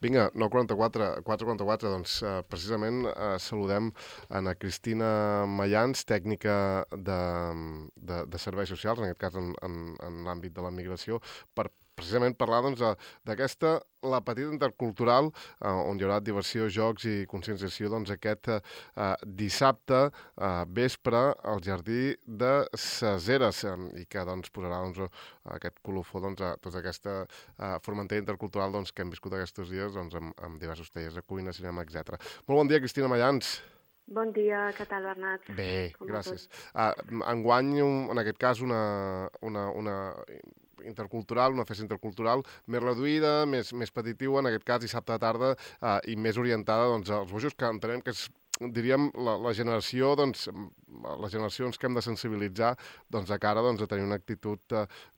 Vinga, 9:44, 4:44, doncs precisament saludem a na Cristina Mayans, tècnica de serveis socials, en aquest cas en l'àmbit de la migració, per precisament parlar doncs, d'aquesta, la petita intercultural, on hi haurà diversió, jocs i conscienciació doncs, aquest dissabte vespre al Jardí de ses Eres, i que doncs, posarà doncs, aquest colofó doncs, a tota aquesta Formentera intercultural doncs, que hem viscut aquests dies doncs, amb diversos tallers de cuina, cinema, etc. Molt bon dia, Cristina Mayans. Bon dia, què tal, Bernat? Bé, gràcies. Enguany, en aquest cas, una intercultural, una festa intercultural més reduïda, més petitiva, en aquest cas dissabte de tarda, i més orientada doncs, als bojos, que entenem que és, diríem, la generació, doncs, les generacions que hem de sensibilitzar doncs, de cara doncs, a tenir una actitud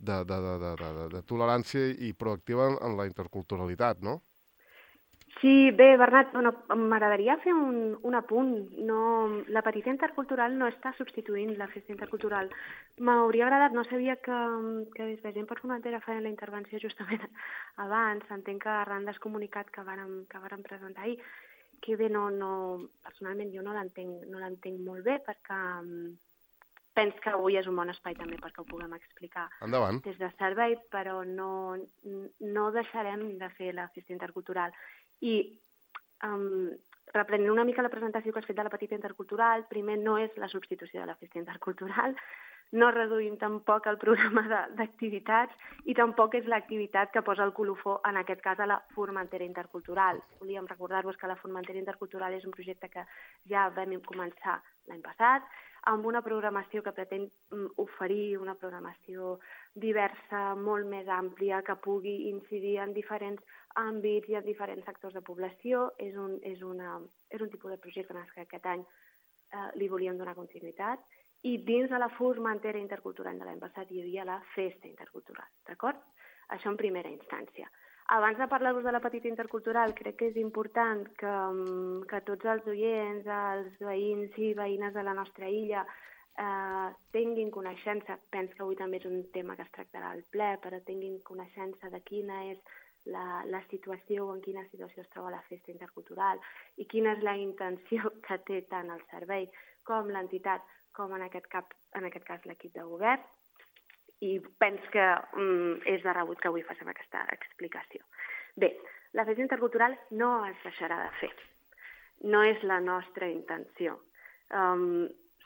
de tolerància i proactiva en la interculturalitat, no? Sí, bé, Bernat, bueno, m'agradaria fer un apunt. La petita intercultural no està substituint la festa intercultural. M'hauria agradat, no sabia que des de Gent per Formentera feien la intervenció justament abans. Entenc que arran del comunicat que vàrem presentar ahir, que bé, personalment jo no l'entenc molt bé, perquè penso que avui és un bon espai també perquè ho puguem explicar Endavant. des de servei, però no deixarem de fer la festa intercultural. I reprenent una mica la presentació que has fet de la petita intercultural, primer no és la substitució de la festa intercultural, no reduïm tampoc el programa d'activitats i tampoc és l'activitat que posa el colofó, en aquest cas, a la Formentera Intercultural. Volíem recordar-vos que la Formentera Intercultural és un projecte que ja vam començar l'any passat, amb una programació que pretén oferir una programació diversa, molt més àmplia, que pugui incidir en diferents àmbits i en diferents sectors de població. És un tipus de projecte en què aquest any li volíem donar continuïtat. I dins de la Formentera Intercultural de l'any passat hi havia la Festa Intercultural, d'acord? Això en primera instància. Abans de parlar-vos de la petita intercultural, crec que és important que tots els oients, els veïns i veïnes de la nostra illa tinguin coneixença, penso que avui també és un tema que es tractarà al ple, però tinguin coneixença de quina és la situació o en quina situació es troba la festa intercultural i quina és la intenció que té tant el servei com l'entitat, com en aquest cas l'equip de govern. I penso que és de rebut que avui facem aquesta explicació. Bé, la festa intercultural no es deixarà de fer. No és la nostra intenció.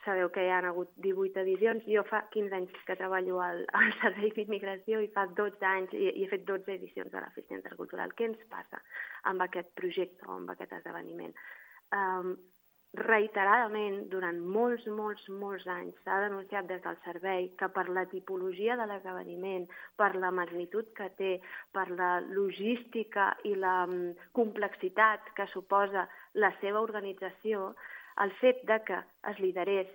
Sabeu que hi ha hagut 18 edicions. Jo fa 15 anys que treballo al Servei d'Immigració i fa 12 anys i he fet 12 edicions de la festa intercultural. Què ens passa amb aquest projecte o amb aquest esdeveniment? Reiteradament, durant molts anys, s'ha denunciat des del servei que per la tipologia de l'esdeveniment, per la magnitud que té, per la logística i la complexitat que suposa la seva organització, el fet de que es liderés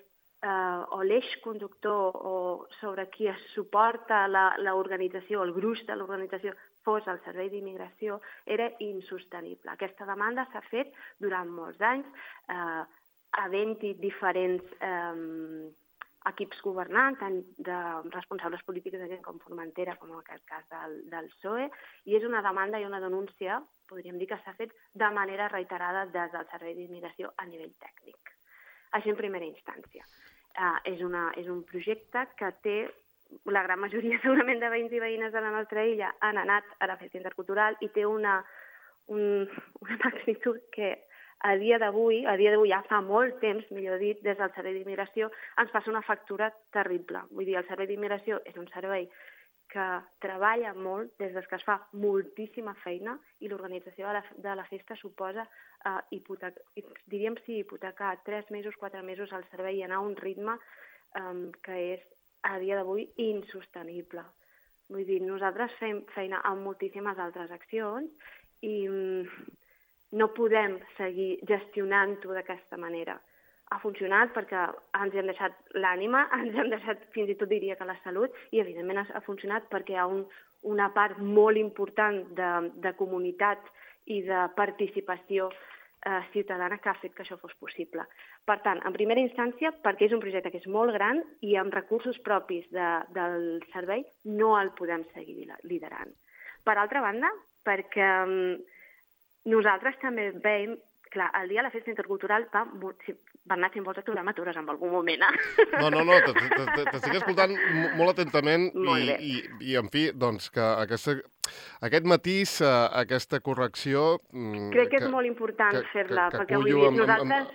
o l'eix conductor o sobre qui es suporta l'organització, el gruix de l'organització, fos el Servei d'Immigració, era insostenible. Aquesta demanda s'ha fet durant molts anys, havent-hi diferents equips governants, tant de responsables polítics de Gent com Formentera, com en aquest cas del PSOE, i és una demanda i una denúncia, podríem dir que s'ha fet de manera reiterada des del Servei d'Immigració a nivell tècnic. Això en primera instància. És un projecte que té la gran majoria segurament de veïns i veïnes de la nostra illa han anat a la festa intercultural i té una magnitud que a dia d'avui, ja fa molt temps, millor dit, des del Servei d'Immigració, ens passa una factura terrible. Vull dir, el Servei d'Immigració és un servei que treballa molt des que es fa moltíssima feina i l'organització de la festa suposa hipotecar 3 mesos, 4 mesos al servei i anar a un ritme que és a dia d'avui insostenible. Vull dir, nosaltres fem feina amb moltíssimes altres accions i no podem seguir gestionant-ho d'aquesta manera. Ha funcionat perquè ens hem deixat l'ànima, ens hem deixat fins i tot diria que la salut i evidentment ha funcionat perquè hi ha una part molt important de comunitat i de participació ciutadana que ha fet que això fos possible. Per tant, en primera instància, perquè és un projecte que és molt gran i amb recursos propis del servei no el podem seguir liderant. Per altra banda, perquè Nosaltres també veiem, clar, el dia de la festa intercultural van anar fent moltes programatures en algun moment, No, t'estic escoltant molt atentament i en fi, doncs que aquest matís, aquesta correcció... Crec que és molt important fer-la, perquè vull dir, nosaltres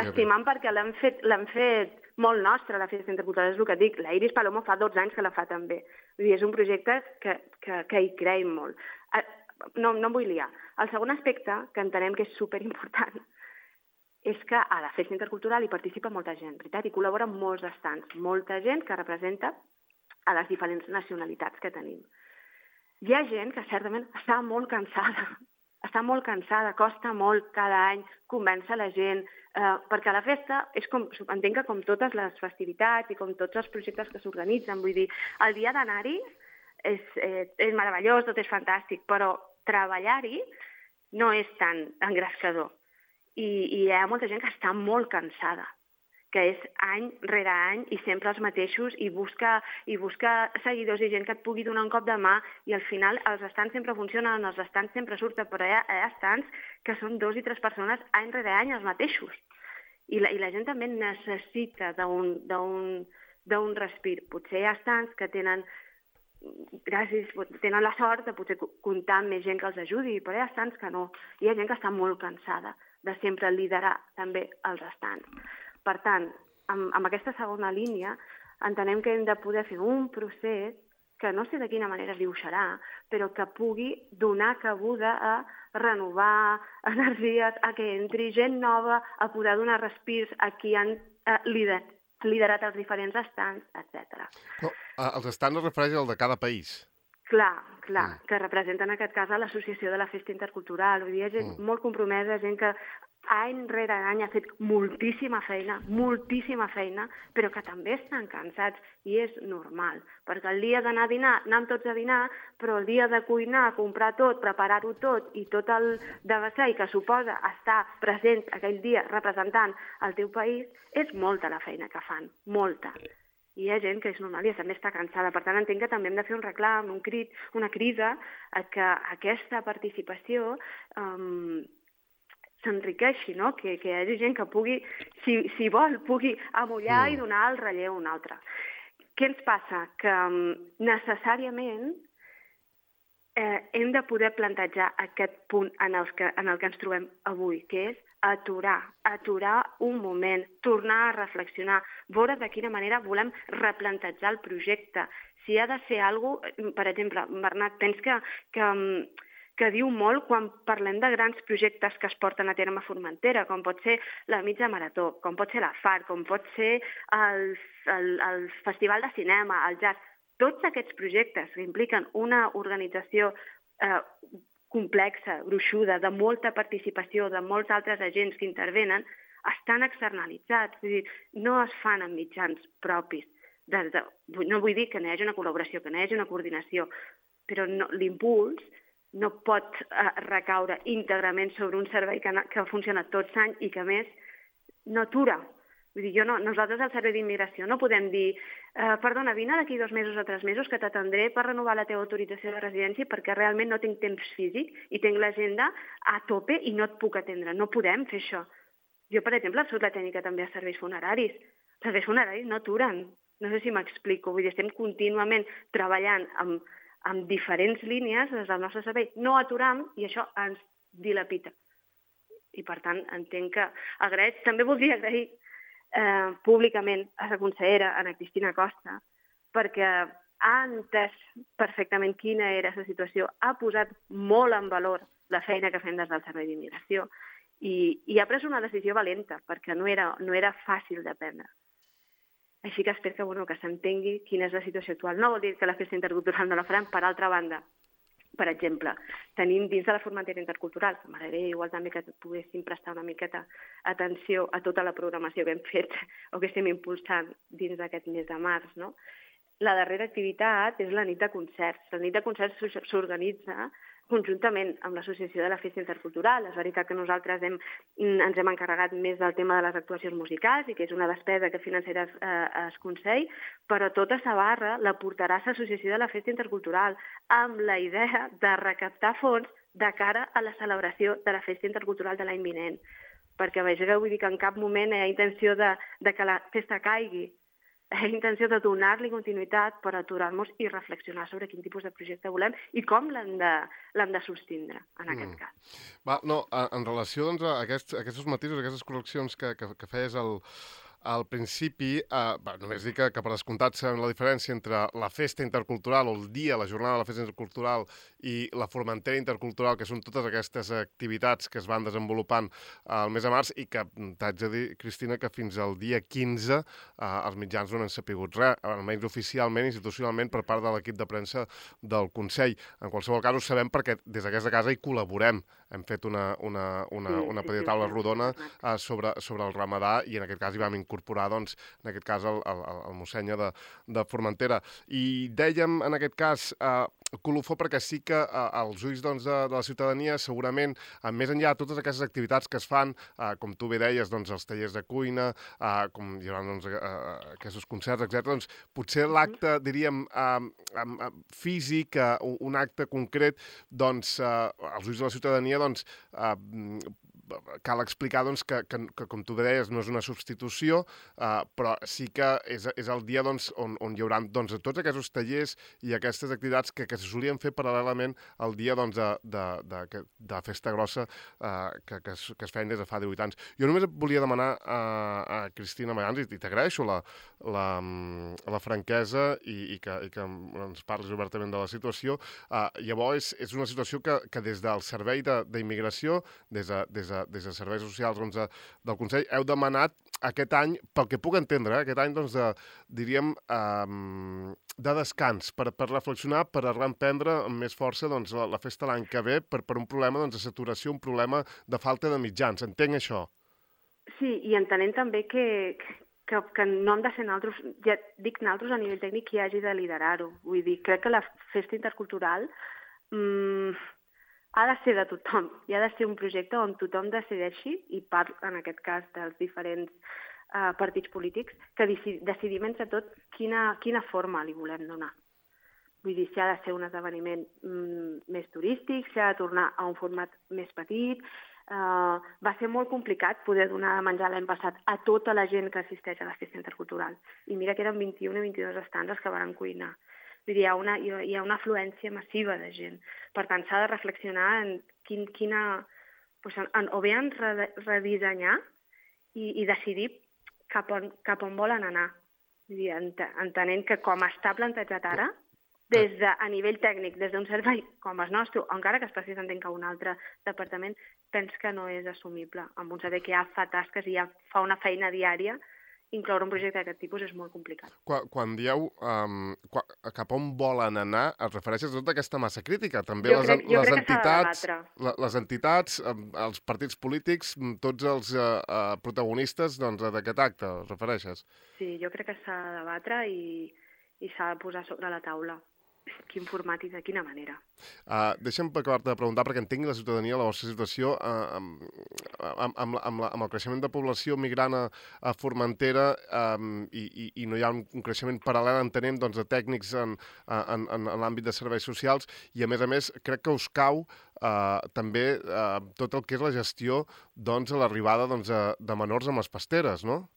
estimam perquè l'hem fet molt nostre, la festa intercultural, és el que dic. La Iris Palomo fa 12 anys que la fa també. Vull dir, és un projecte que hi creiem molt. No em vull liar. El segon aspecte, que entenem que és superimportant, és que a la festa intercultural hi participa molta gent, veritat? Hi col·labora molts estants, molta gent que representa a les diferents nacionalitats que tenim. Hi ha gent que certament està molt cansada, costa molt cada any convèncer la gent, perquè la festa és entenc que com totes les festivitats i com tots els projectes que s'organitzen, vull dir, el dia d'anar-hi és meravellós, tot és fantàstic, però treballar-hi no és tan engrescador. I hi ha molta gent que està molt cansada, que és any rere any i sempre els mateixos i busca seguidors i gent que et pugui donar un cop de mà i al final els estants sempre funcionen, els estants sempre surten, però hi ha estants que són 2 i 3 persones any rere any els mateixos. I la gent també necessita d'un respir. Potser hi ha estants que tenen la sort de potser comptar amb més gent que els ajudi, però hi ha estants que no. Hi ha gent que està molt cansada de sempre liderar també els estants. Per tant, amb aquesta segona línia entenem que hem de poder fer un procés que no sé de quina manera es dibuixarà, però que pugui donar cabuda a renovar energies, a que entri gent nova, a poder donar respirs a qui han liderat els diferents estants, etc. Els estants es refereix al de cada país? Clar, que representa en aquest cas a l'Associació de la Festa Intercultural. Vull dir, hi ha gent molt compromesa, gent que any rere any ha fet moltíssima feina, però que també estan cansats i és normal, perquè el dia d'anar a dinar, anem tots a dinar, però el dia de cuinar, comprar tot, preparar-ho tot i tot el devessall que suposa estar present aquell dia representant el teu país, és molta la feina que fan, molta. I hi ha gent que és normal i també està cansada. Per tant, entenc que també hem de fer un reclam, un crit, una crida a que aquesta participació s'enriqueixi, no? Que hi hagi gent que pugui, si vol, pugui amollar i donar el relleu a un altre. Què ens passa? Que necessàriament hem de poder plantejar aquest punt en el que ens trobem avui, que és aturar un moment, tornar a reflexionar, veure de quina manera volem replantejar el projecte. Si ha de ser alguna cosa, per exemple, Bernat, penso que diu molt quan parlem de grans projectes que es porten a terme a Formentera, com pot ser la mitja marató, com pot ser la FARC, com pot ser el Festival de Cinema, el jazz. Tots aquests projectes que impliquen una organització complexa, gruixuda, de molta participació, de molts altres agents que intervenen, estan externalitzats, és a dir, no es fan amb mitjans propis. No vull dir que no hi hagi una col·laboració, que no hi hagi una coordinació, però l'impuls no pot recaure íntegrament sobre un servei que funciona tots anys i que, a més, no atura. Vull dir, nosaltres al Servei d'Immigració no podem dir perdona, vine d'aquí 2 mesos o 3 mesos que t'atendré per renovar la teva autorització de residència perquè realment no tinc temps físic i tinc l'agenda a tope i no et puc atendre. No podem fer això. Jo, per exemple, soc la tècnica també a serveis funeraris. Els serveis funeraris no aturen. No sé si m'explico. Vull dir, estem contínuament treballant amb diferents línies des del nostre servei. No aturam i això ens dilapita. I, per tant, entenc que també voldria agrair públicament a la consellera, Ana Cristina Costa, perquè ha entès perfectament quina era la situació, ha posat molt en valor la feina que fem des del Servei d'Immigració i ha pres una decisió valenta, perquè no era fàcil de prendre. Així que espero que s'entengui quina és la situació actual. No vol dir que la festa intercultural no la farem. Per altra banda, per exemple, tenim dins de la Formentera Intercultural, que m'agradaria igual també que poguéssim prestar una miqueta atenció a tota la programació que hem fet o que estem impulsant dins d'aquest mes de març, no? La darrera activitat és la nit de concerts. La nit de concerts s'organitza conjuntament amb l'Associació de la Festa Intercultural. És veritat que nosaltres ens hem encarregat més del tema de les actuacions musicals i que és una despesa que financerà el Consell, però tota la barra la portarà l'Associació de la Festa Intercultural amb la idea de recaptar fons de cara a la celebració de la Festa Intercultural de l'any vinent. Perquè vegeu, vull dir que en cap moment hi ha intenció de que la festa caigui. Hi ha intenció de donar-li continuïtat per aturar-nos i reflexionar sobre quin tipus de projecte volem i com l'hem de sostindre, en aquest cas. Va, no, en relació doncs, a aquests matisos, aquestes correccions que feies al principi, només dir que per descomptat sabem la diferència entre la festa intercultural o el dia, la jornada de la festa intercultural i la Formentera intercultural, que són totes aquestes activitats que es van desenvolupant al mes de març i que t'haig de dir, Cristina, que fins al dia 15 els mitjans no n'han sapigut res, almenys oficialment, institucionalment, per part de l'equip de premsa del Consell. En qualsevol cas ho sabem perquè des d'aquesta casa hi col·laborem. Hem fet una petita taula rodona sobre el ramadà i en aquest cas hi vam incorporar, doncs, en aquest cas, el mossènyer de Formentera. I dèiem, en aquest cas, colofó perquè sí que als ulls doncs, de la ciutadania segurament, més enllà de totes aquestes activitats que es fan, com tu bé deies, doncs, els tallers de cuina, com hi haurà doncs, aquests concerts, etc. Doncs, potser l'acte, diríem, físic, un acte concret, doncs, als ulls de la ciutadania, doncs, cal explicar doncs, que, com tu deies, no és una substitució, però sí que és el dia doncs, on hi haurà doncs, tots aquests tallers i aquestes activitats que se solien fer paral·lelament al dia doncs, de festa grossa que es feien des de fa 18 anys. Jo només volia demanar a Cristina Mayans, i t'agraeixo la franquesa i que ens parlis obertament de la situació. Llavors, és una situació que des del Servei d'Immigració, des de Serveis Socials doncs, del Consell, heu demanat aquest any, pel que puc entendre, aquest any, doncs, diríem, de descans, per reflexionar, per reemprendre amb més força doncs, la festa l'any que ve, per un problema doncs, de saturació, un problema de falta de mitjans. Entenc això? Sí, i entenent també que no hem de ser nosaltres, ja dic nosaltres a nivell tècnic, qui hagi de liderar-ho. Vull dir, crec que la festa intercultural ha de ser de tothom i ha de ser un projecte on tothom decideixi, i parlo en aquest cas dels diferents partits polítics, que decidim entre tot quina forma li volem donar. Vull dir, si ha de ser un esdeveniment més turístic, si ha de tornar a un format més petit. Va ser molt complicat poder donar de menjar l'any passat a tota la gent que assisteix a la festa intercultural. I mira que eren 21 o 22 estands que van cuinar. Vull dir, hi ha una afluència massiva de gent. Per tant, s'ha de reflexionar en o bé en redissenyar i decidir cap on volen anar. Vull dir, entenent que com està plantejat ara, a nivell tècnic, des d'un servei com el nostre, encara que es passi s'entén que un altre departament, penso que no és assumible. Amb un servei que ja fa tasques i ja fa una feina diària, incloure un projecte d'aquest tipus és molt complicat. Quan dieu cap on volen anar, et refereixes a tota aquesta massa crítica? També les entitats, els partits polítics, tots els protagonistes d'aquest acte, et refereixes? Sí, jo crec que s'ha de debatre i s'ha de posar sobre la taula quin format i de quina manera. Deixa'm acabar-te de preguntar, perquè entenc la ciutadania, la vostra situació, amb el creixement de població migrant a Formentera i no hi ha un creixement paral·lel, entenem, doncs, de tècnics en l'àmbit de serveis socials, i a més, crec que us cau també tot el que és la gestió doncs, a l'arribada de menors amb les pasteres, no?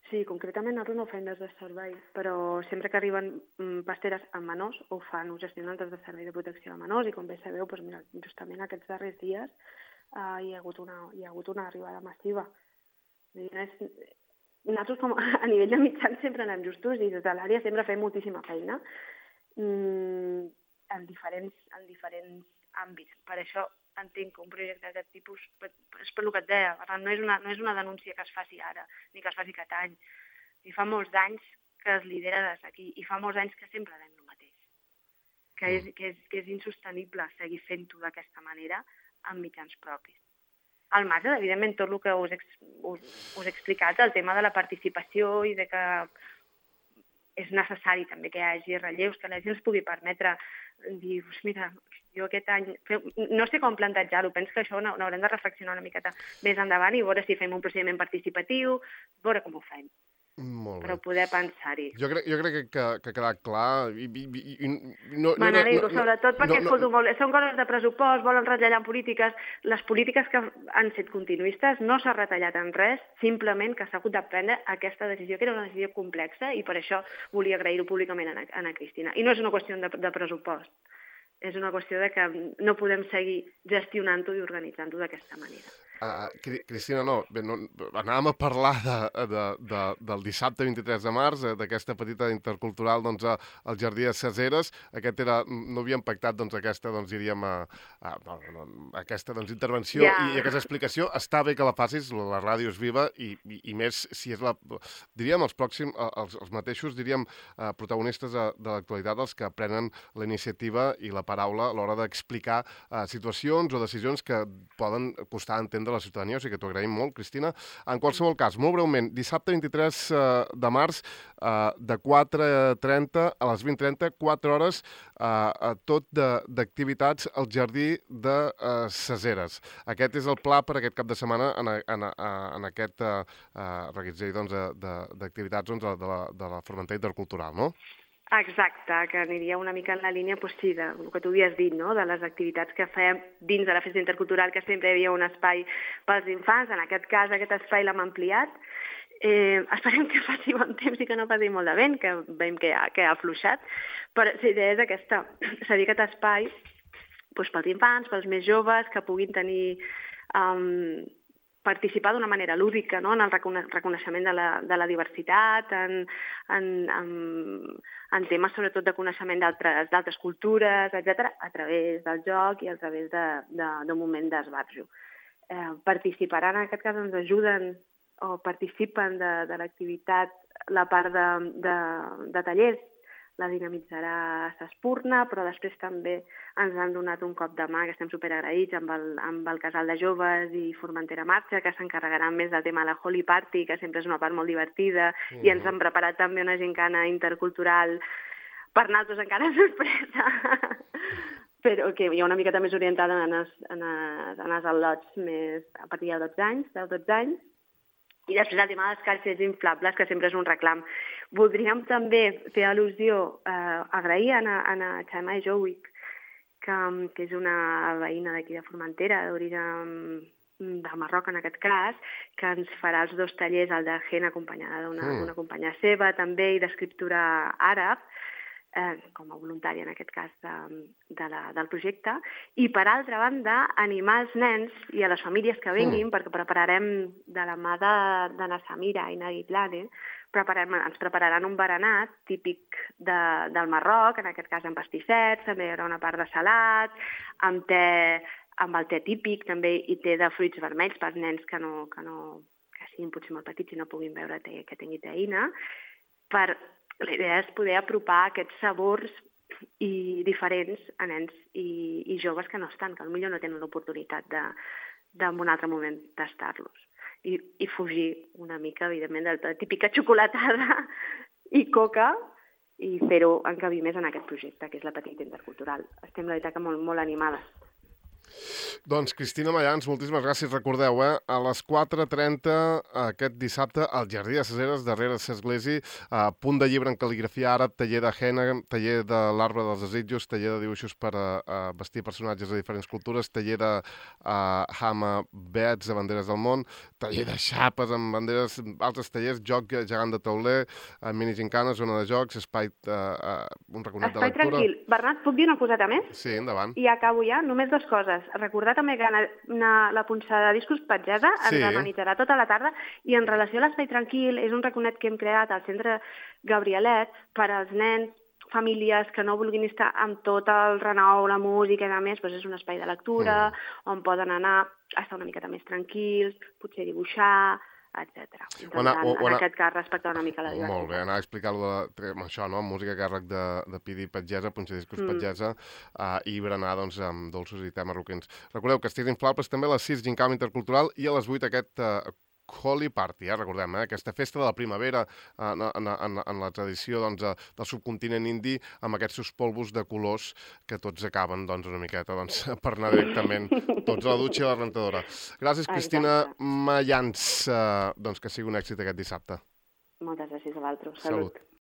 Sí, concretament nosaltres no ho fem des de servei, però sempre que arriben pasteres amb menors ho fan, ho gestionen des de servei de protecció de menors, i com bé sabeu, doncs mira, justament aquests darrers dies hi ha hagut una arribada massiva. Nosaltres a nivell de mitjans sempre anem justos i des de l'àrea sempre fem moltíssima feina en diferents àmbits. Per això entenc que un projecte d'aquest tipus, és per el que et deia, no és una denúncia que es faci ara, ni que es faci aquest any. I fa molts anys que es lidera des d'aquí, i fa molts anys que sempre dèiem el mateix, que és insostenible seguir fent-ho d'aquesta manera amb mitjans propis. Al marge, evidentment, tot el que us he explicat, el tema de la participació i de que és necessari també que hi hagi relleus, que la gent es pugui permetre dir, mira, jo aquest any... No sé com plantejar-ho, penso que això n'haurem de reflexionar una miqueta més endavant i veure si fem un procediment participatiu, veure com ho fem. Molt però bé. poder pensar-hi. Jo crec que ha quedat clar. M'alegro, sobretot perquè, escolto, són coses de pressupost, volen retallar en polítiques. Les polítiques que han set continuistes no s'ha retallat en res, simplement que s'ha hagut de prendre aquesta decisió, que era una decisió complexa, i per això volia agrair-ho públicament a Ana Cristina. I no és una qüestió de pressupost, és una qüestió de que no podem seguir gestionant-ho i organitzant-ho d'aquesta manera. Cristina, anàvem a parlar del dissabte 23 de març, d'aquesta petita intercultural al Jardí de Ses. Aquest era, no havíem pactat aquesta, diríem, aquesta intervenció i aquesta explicació. Està bé que la facis, la ràdio és viva i més si és diríem, els mateixos, diríem, protagonistes de l'actualitat, els que prenen la iniciativa i la paraula a l'hora d'explicar situacions o decisions que poden costar entendre de la ciutadania, o sigui que t'ho agraïm molt, Cristina. En qualsevol cas, molt breument, dissabte 23 de març, de 4:30 a les 20:30, 4 hores, tot d'activitats al Jardí de Ses. Aquest és el pla per aquest cap de setmana en aquest reguitzell d'activitats de la Formentera Intercultural, no? Exacte, que aniria una mica en la línia, sí, del que tu havies dit, no? De les activitats que fèiem dins de la festa intercultural, que sempre hi havia un espai pels infants. En aquest cas, aquest espai l'hem ampliat. Esperem que faci bon temps i que no faci molt de vent, que veiem que ha afluixat. Però la idea és aquesta, és a dir, aquest espai pels infants, pels més joves, que puguin tenir... participar d'una manera lúdica, no? En el reconeixement de la diversitat, en temes sobretot de coneixement d'altres cultures, etc., a través del joc i a través d'un moment d'esbarjo. Participaran, en aquest cas, ens ajuden o participen de l'activitat la part de tallers. La dinamitzarà S'Espurna, però després també ens han donat un cop de mà, que estem superagraïts, amb el casal de joves i Formentera Marxa, que s'encarregaran més del tema de la Holy Party, que sempre és una part molt divertida, i ens han preparat també una gincana intercultural per nosaltres encara sorpresa, però que hi ha una miqueta més orientada en els al·lots més a partir de 12 anys, i després el tema de les caixes inflables, que sempre és un reclam. Voldríem també fer al·lusió, agrair a Xaima Jowic, que és una veïna d'aquí de Formentera, d'origen del Marroc en aquest cas, que ens farà els 2 tallers, el de Hen acompanyada d'una companya seva, també, i d'escriptura àrab, com a voluntària en aquest cas del projecte, i per altra banda animar els nens i a les famílies que vinguin, perquè prepararem de la mà de na Samira i Nagui Plane, ens prepararan un berenat típic del Marroc, en aquest cas amb pastissets, també hi haurà una part de salat, amb el te típic també, i te de fruits vermells pels nens que siguin potser molt petits i no puguin beure te que tingui teïna. La idea és poder apropar aquests sabors diferents a nens i joves que no estan, que potser no tenen l'oportunitat en un altre moment tastar-los. I fugir una mica, evidentment, de la típica xocolatada i coca, i fer-ho encabir més en aquest projecte, que és la Petita Intercultural. Estem, la veritat, que molt animades. Doncs, Cristina Mayans, moltíssimes gràcies. Recordeu, a les 4:30 aquest dissabte al Jardí de Ses, darrere l'església, punt de llibre en cal·ligrafia àrab, taller de henna, taller de l'arbre dels desitjos, taller de dibuixos per vestir personatges de diferents cultures, taller de hama bets de banderes del món, taller de xapes amb banderes, altres tallers, joc gegant de tauler, mini gincana, zona de jocs, espai, un raconet de lectura... Espai tranquil. Bernat, puc dir una coseta més? Sí, endavant. I acabo ja. Només 2 coses. Recordar també que la punxada de discos Petgesa ens amenitzarà tota la tarda, i en relació a l'espai tranquil és un raconet que hem creat al centre Gabrielet per als nens, famílies que no vulguin estar amb tot el renou, la música i a més, és un espai de lectura on poden anar a estar una miqueta més tranquils, potser dibuixar, etc. En aquest cas, respectar una mica la diversitat. Molt bé, anar a explicar-lo això, no? Música a càrrec de Pidi Petgesa, punxadiscos Petgesa, i berenar amb dolços i te marroquins. Recordeu, Castells Inflables també a les 6, gincana intercultural, i a les 8 aquest Holy Party, recordem, aquesta festa de la primavera en la tradició del subcontinent indi, amb aquests seus polvos de colors que tots acaben una miqueta per anar directament tots a la dutxa i a la rentadora. Gràcies, Cristina Mayans. Que sigui un èxit aquest dissabte. Moltes gràcies a vosaltres. Salut.